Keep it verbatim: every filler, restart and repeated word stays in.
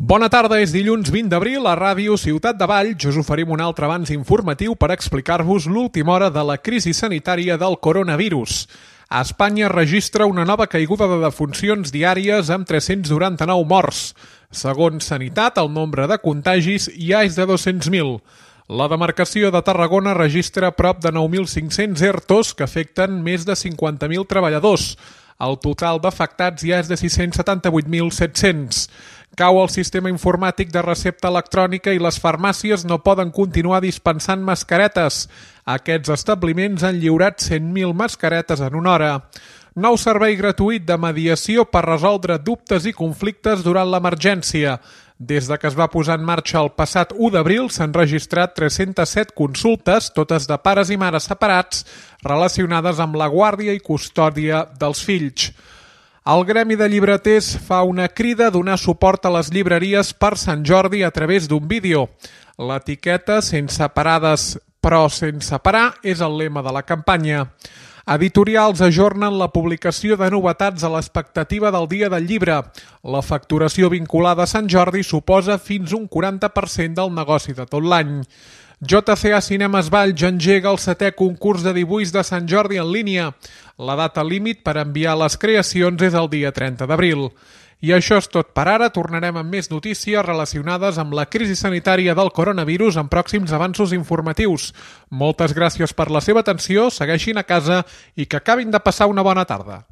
Bona tarda, és dilluns vint d'abril, a Ràdio Ciutat de Valls us oferim un altre avanç informatiu per explicar-vos l'última hora de la crisi sanitària del coronavirus. A Espanya registra una nova caiguda de defuncions diàries amb tres-cents noranta-nou morts. Segons Sanitat, el nombre de contagis ja és de dos-cents mil. La demarcació de Tarragona registra prop de nou mil cinc-cents ERTOs que afecten més de cinquanta mil treballadors. El total d'afectats ja és de sis-cents setanta-vuit mil set-cents. Cau el sistema informàtic de recepta electrònica i les farmàcies no poden continuar dispensant mascaretes. Aquests establiments han lliurat cent mil mascaretes en una hora. Nou servei gratuït de mediació per resoldre dubtes i conflictes durant l'emergència. Des de que es va posar en marxa el passat u d'abril s'han registrat tres-cents set consultes, totes de pares i mares separats, relacionades amb la guàrdia i custòdia dels fills. El Gremi de Llibreters fa una crida a donar suport a les llibreries per Sant Jordi a través d'un vídeo. L'etiqueta sense parades però sense parar és el lema de la campanya. Editorials ajornen la publicació de novetats a l'expectativa del Dia del Llibre. La facturació vinculada a Sant Jordi suposa fins un quaranta per cent del negoci de tot l'any. J C A Cinemes Valls engega el setè concurs de dibuix de Sant Jordi en línia. La data límit per enviar les creacions és el dia trenta d'abril. I això és tot per ara. Tornarem amb més notícies relacionades amb la crisi sanitària del coronavirus en pròxims avanços informatius. Moltes gràcies per la seva atenció, segueixin a casa i que acabin de passar una bona tarda.